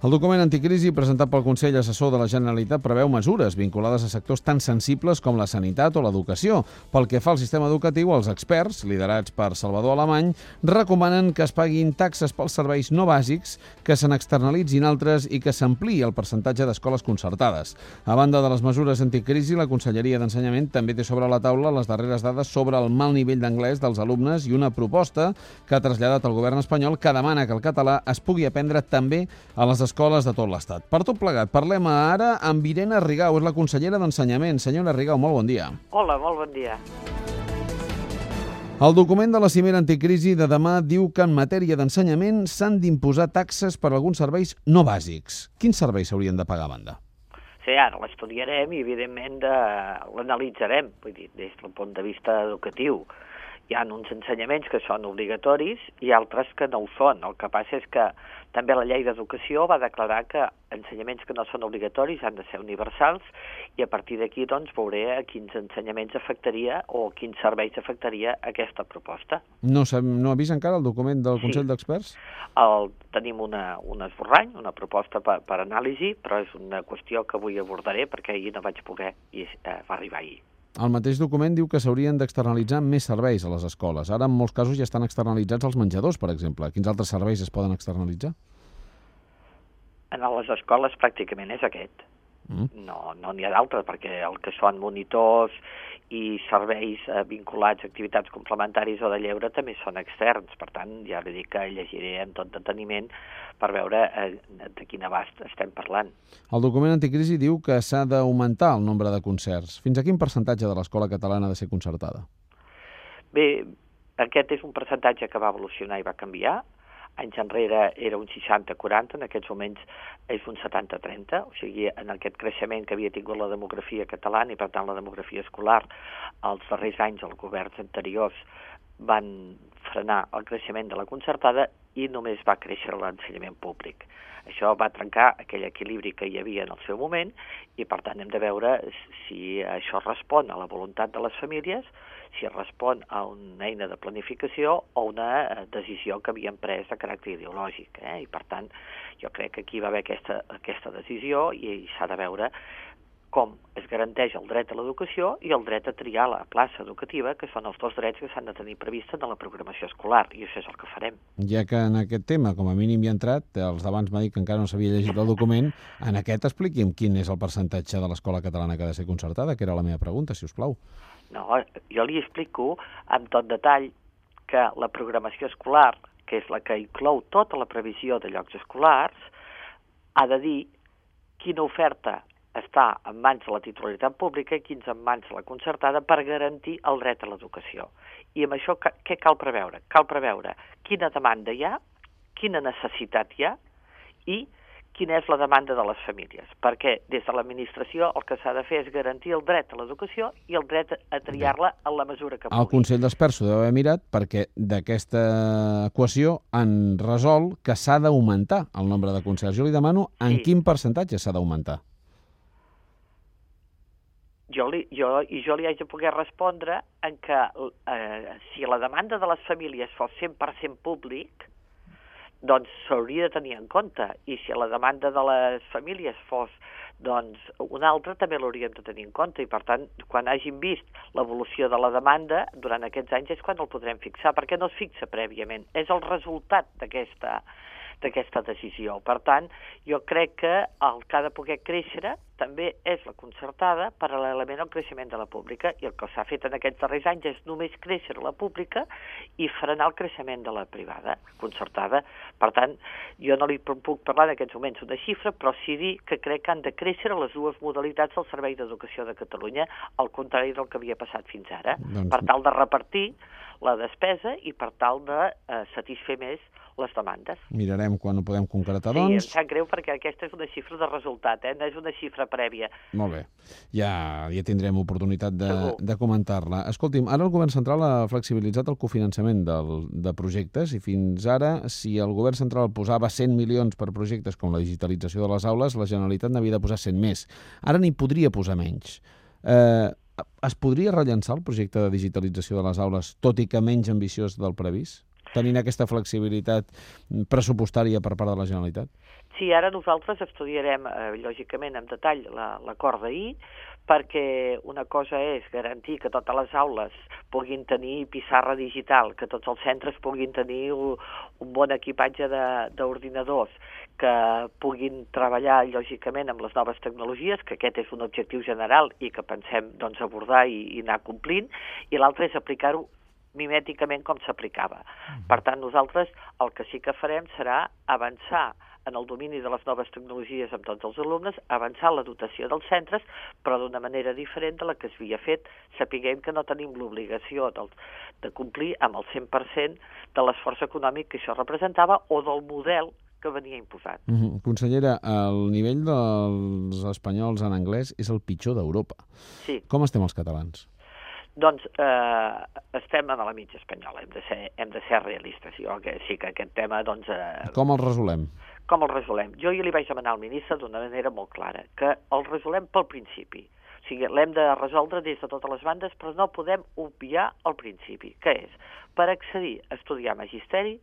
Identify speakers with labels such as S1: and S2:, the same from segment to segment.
S1: El document anticrisi presentat pel Consell Assessor de la Generalitat preveu mesures vinculades a sectors tan sensibles com la sanitat o l'educació. Pel que fa al sistema educatiu, els experts, liderats per Salvador Alemany, recomanen que es paguin taxes pels serveis no bàsics, que se n'externalitzin altres i que s'ampliï el percentatge d'escoles concertades. A banda de les mesures anticrisi, la Conselleria d'Ensenyament també té sobre la taula les darreres dades sobre el mal nivell d'anglès dels alumnes i una proposta que ha traslladat el govern espanyol que demana que el català es pugui aprendre també a les escoles de tot l'Estat. Per tot plegat, parlem ara amb Irene Rigau, és la consellera d'Ensenyament. Senyora Rigau, molt bon dia.
S2: Hola, molt bon dia.
S1: El document de la cimera anticrisi de demà diu que en matèria d'ensenyament s'han d'imposar taxes per a alguns serveis no bàsics. Quins serveis s'haurien de pagar a banda?
S2: Sí, ara l'estudiarem i, evidentment, l'analitzarem, vull dir, des del punt de vista educatiu. Hi ha uns ensenyaments que són obligatoris i altres que no ho són. El que passa és que també la llei d'educació va declarar que ensenyaments que no són obligatoris han de ser universals i a partir d'aquí doncs veuré a quins ensenyaments afectaria o quins serveis afectaria aquesta proposta.
S1: No ha vist encara el document del Consell d'Experts?
S2: Tenim un esborrany, una proposta per anàlisi, però és una qüestió que avui abordaré perquè ahir no vaig poder i va arribar ahir.
S1: El mateix document diu que s'haurien d'externalitzar més serveis a les escoles. Ara, en molts casos, ja estan externalitzats els menjadors, per exemple. Quins altres serveis es poden externalitzar?
S2: En les escoles pràcticament és aquest. No n'hi ha d'altres, perquè el que són monitors i serveis vinculats a activitats complementaris o de lleure també són externs. Per tant, ja li dic que llegiré amb tot deteniment per veure de quin abast estem parlant.
S1: El document anticrisi diu que s'ha d'augmentar el nombre de concerts. Fins a quin percentatge de l'escola catalana ha de ser concertada?
S2: Bé, aquest és un percentatge que va evolucionar i va canviar. Anys enrere era un 60-40, en aquests moments és un 70-30, o sigui, en aquest creixement que havia tingut la demografia catalana i, per tant, la demografia escolar, els darrers anys els governs anteriors van frenar el creixement de la concertada i només va créixer l'ensenyament públic. Això va trencar aquell equilibri que hi havia en el seu moment i, per tant, hem de veure si això respon a la voluntat de les famílies, si respon a una eina de planificació o una decisió que havien pres de caràcter ideològic. I, per tant, jo crec que aquí va haver aquesta decisió i s'ha de veure com es garanteix el dret a l'educació i el dret a triar la plaça educativa, que són els dos drets que s'han de tenir previstos en la programació escolar, i això és el que farem.
S1: Ja que en aquest tema, com a mínim hi ha entrat, els d'abans m'ha dit que encara no s'havia llegit el document, en aquest expliqui'm quin és el percentatge de l'escola catalana que ha de ser concertada, que era la meva pregunta, si us plau.
S2: No, jo li explico amb tot detall que la programació escolar, que és la que inclou tota la previsió de llocs escolars, ha de dir quina oferta està en mans de la titularitat pública i quins en mans de la concertada per garantir el dret a l'educació. I amb això què cal preveure? Cal preveure quina demanda hi ha, quina necessitat hi ha i quina és la demanda de les famílies, perquè des de l'administració el que s'ha de fer és garantir el dret a l'educació i el dret a triar-la en la mesura que pugui.
S1: El Consell d'Experts ho deu haver mirat perquè d'aquesta equació han resolt que s'ha d'augmentar el nombre de concerts. Jo li demano en quin percentatge s'ha d'augmentar.
S2: Jo li haig de poder respondre en que si la demanda de les famílies fos 100% públic, doncs s'hauria de tenir en compte, i si la demanda de les famílies fos una altra, també l'hauríem de tenir en compte, i per tant, quan hàgim vist l'evolució de la demanda durant aquests anys és quan el podrem fixar, perquè no es fixa prèviament, és el resultat d'aquesta decisió. Per tant, jo crec que el que ha de poder créixer també és la concertada paral·lelament al creixement de la pública, i el que s'ha fet en aquests darrers anys és només créixer la pública i frenar el creixement de la privada, concertada. Per tant, jo no li puc parlar en aquests moments una xifra, però sí dir que crec que han de créixer les dues modalitats del Servei d'Educació de Catalunya, al contrari del que havia passat fins ara, per tal de repartir la despesa i per tal de satisfer més les demandes.
S1: Mirarem quan ho podem concretar,
S2: doncs. Sí,
S1: doncs.
S2: em sap greu perquè aquesta és una xifra de resultat, no és una xifra prèvia.
S1: Molt bé. Ja tindrem oportunitat de comentar-la. Escolti'm, ara el Govern Central ha flexibilitzat el cofinançament de projectes i fins ara, si el Govern Central posava 100 milions per projectes com la digitalització de les aules, la Generalitat n'havia de posar 100 més. Ara n'hi podria posar menys. Es podria rellançar el projecte de digitalització de les aules, tot i que menys ambiciós del previst? tenint aquesta flexibilitat pressupostària per part de la Generalitat?
S2: Sí, ara nosaltres estudiarem, lògicament, en detall l'acord d'ahir, perquè una cosa és garantir que totes les aules puguin tenir pissarra digital, que tots els centres puguin tenir un bon equipatge d'ordinadors, que puguin treballar, lògicament, amb les noves tecnologies, que aquest és un objectiu general i que pensem abordar i anar complint, i l'altre és aplicar-ho mimèticament com s'aplicava. Per tant, nosaltres el que sí que farem serà avançar en el domini de les noves tecnologies amb tots els alumnes, avançar la dotació dels centres, però d'una manera diferent de la que s'havia fet. Sapiguem que no tenim l'obligació de complir amb el 100% de l'esforç econòmic que això representava o del model que venia imposat.
S1: Consellera, el nivell dels espanyols en anglès és el pitjor d'Europa.
S2: Sí.
S1: Com estem els catalans?
S2: Doncs estem a la mitja espanyola, hem de ser realistes. Jo sí que aquest tema...
S1: Com el resolem?
S2: Com el resolem? Jo li vaig demanar al ministre d'una manera molt clara, que el resolem pel principi. O sigui, l'hem de resoldre des de totes les bandes, però no podem obviar el principi, que és, per accedir a estudiar magisteri,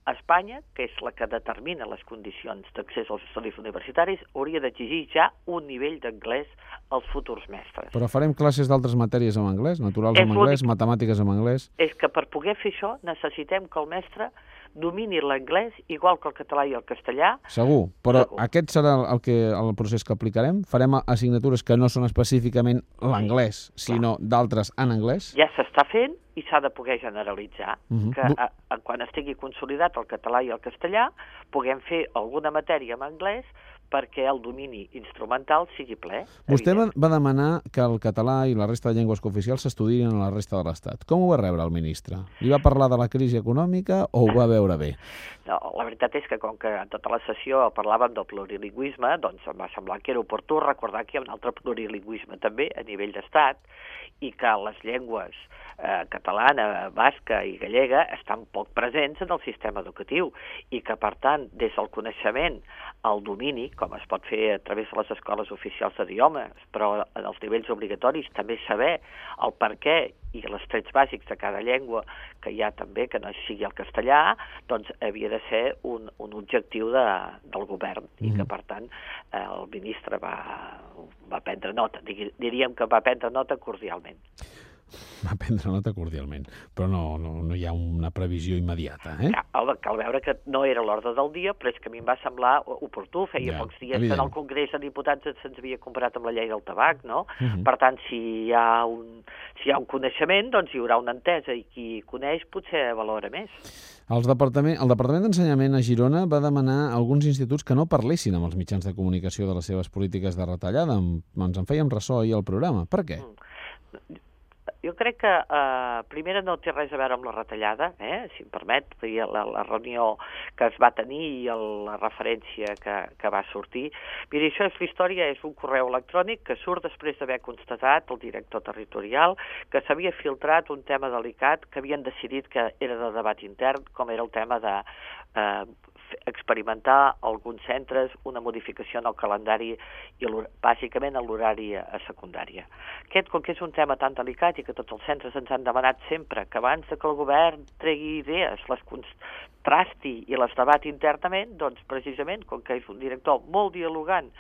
S2: Espanya, que és la que determina les condicions d'accés als estudis universitaris, hauria d'exigir ja un nivell d'anglès als futurs mestres.
S1: Però farem classes d'altres matèries en anglès, naturals en anglès, matemàtiques en anglès...
S2: És que per poder fer això necessitem que el mestre domini l'anglès igual que el català i el castellà.
S1: Segur, però aquest serà el procés que aplicarem? Farem assignatures que no són específicament l'anglès, sinó d'altres en anglès?
S2: Ja s'està fent i s'ha de poder generalitzar, que quan estigui consolidat el català i el castellà puguem fer alguna matèria en anglès perquè el domini instrumental sigui ple.
S1: Vostè va demanar que el català i la resta de llengües cooficials s'estudien a la resta de l'Estat. Com ho va rebre el ministre? Li va parlar de la crisi econòmica o ho va veure bé?
S2: No, la veritat és que com que en tota la sessió parlàvem del plurilingüisme, doncs em va semblar que era oportú recordar que hi ha un altre plurilingüisme també a nivell d'estat i que les llengües catalana, basca i gallega estan poc presents en el sistema educatiu i que, per tant, des del coneixement al domini, com es pot fer a través de les escoles oficials d'idiomes, però en els nivells obligatoris també saber el per què i els trets bàsics de cada llengua que hi ha també, que no sigui el castellà, doncs havia de ser un objectiu del govern i que, per tant, el ministre va prendre nota. Diríem que va prendre nota cordialment.
S1: Va prendre nota cordialment, però no hi ha una previsió immediata, eh?
S2: Cal veure que no era l'ordre del dia, però és que a mi em va semblar oportú. Feia pocs dies que en el Congrés de Diputats se'ns havia comparat amb la llei del tabac, no? Per tant, si hi ha un coneixement, doncs hi haurà una entesa i qui coneix potser valora més.
S1: El Departament d'Ensenyament a Girona va demanar a alguns instituts que no parlessin amb els mitjans de comunicació de les seves polítiques de retallada. Ens en fèiem ressò ahir al programa. Per què?
S2: Jo crec que, primera, no té res a veure amb la retallada, si em permet, la reunió que es va tenir i la referència que va sortir. Mira, això és la història, és un correu electrònic que surt després d'haver constatat el director territorial que s'havia filtrat un tema delicat que havien decidit que era de debat intern, com era el tema de experimentar alguns centres una modificació en el calendari i bàsicament en l'horari a secundària. Aquest, com que és un tema tan delicat i que tots els centres ens han demanat sempre que abans que el govern tregui idees, les contrasti i les debati internament, doncs precisament, com que és un director molt dialogant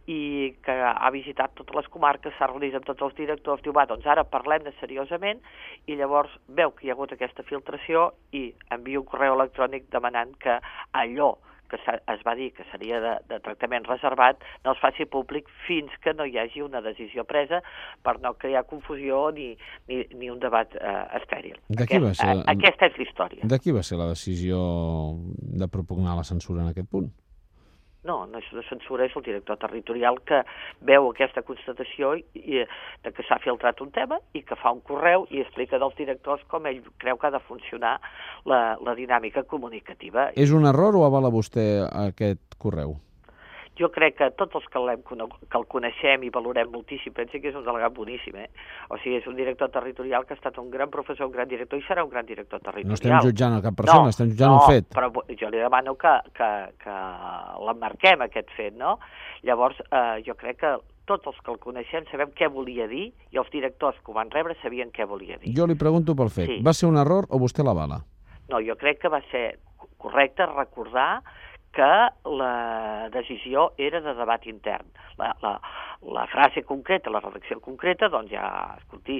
S2: i que ha visitat totes les comarques, s'ha reunit amb tots els directors, diu, doncs ara parlem-ne seriosament, i llavors veu que hi ha hagut aquesta filtració i envia un correu electrònic demanant que allò que es va dir que seria de tractament reservat no es faci públic fins que no hi hagi una decisió presa per no crear confusió ni un debat estèril. Aquesta és la història.
S1: De qui va ser la decisió de propugnar la censura en aquest punt?
S2: No és una censura, és el director territorial que veu aquesta constatació de que s'ha filtrat un tema i que fa un correu i explica dels directors com ell creu que ha de funcionar la dinàmica comunicativa.
S1: És un error o avala vostè aquest correu?
S2: Jo crec que tots els que el coneixem i valorem moltíssim, penso que és un delegat boníssim, O sigui, és un director territorial que ha estat un gran professor, un gran director i serà un gran director territorial.
S1: No estem jutjant a cap persona, estem jutjant un fet.
S2: Però jo li demano que l'emmarquem, aquest fet, no? Llavors, jo crec que tots els que el coneixem sabem què volia dir i els directors que ho van rebre sabien què volia dir.
S1: Jo li pregunto pel fet. Va ser un error o vostè l'avala?
S2: No, jo crec que va ser correcte recordar que la decisió era de debat intern. La frase concreta, la redacció concreta, doncs ja, escolti,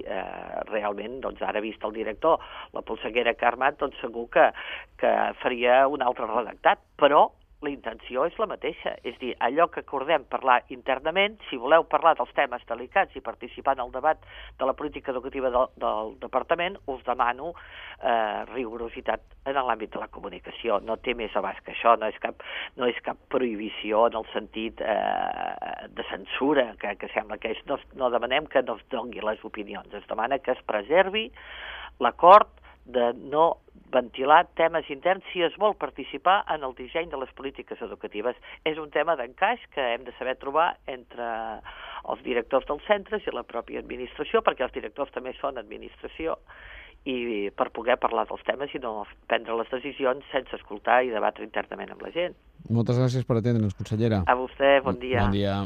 S2: realment, doncs ara vist el director, la polseguera que ha armat, doncs segur que faria un altre redactat, però la intenció és la mateixa, és dir, allò que acordem parlar internament, si voleu parlar dels temes delicats i participar en el debat de la política educativa del departament, us demano rigorositat en l'àmbit de la comunicació. No té més abast que això, no és cap prohibició en el sentit de censura, que sembla que no demanem que no es doni les opinions, es demana que es preservi l'acord de no ventilar temes interns si es vol participar en el disseny de les polítiques educatives. És un tema d'encaix que hem de saber trobar entre els directors dels centres i la pròpia administració, perquè els directors també són administració, i per poder parlar dels temes i no prendre les decisions sense escoltar i debatre internament amb la gent.
S1: Moltes gràcies per atendre'ns, consellera.
S2: A vostè, bon dia.
S1: Bon dia.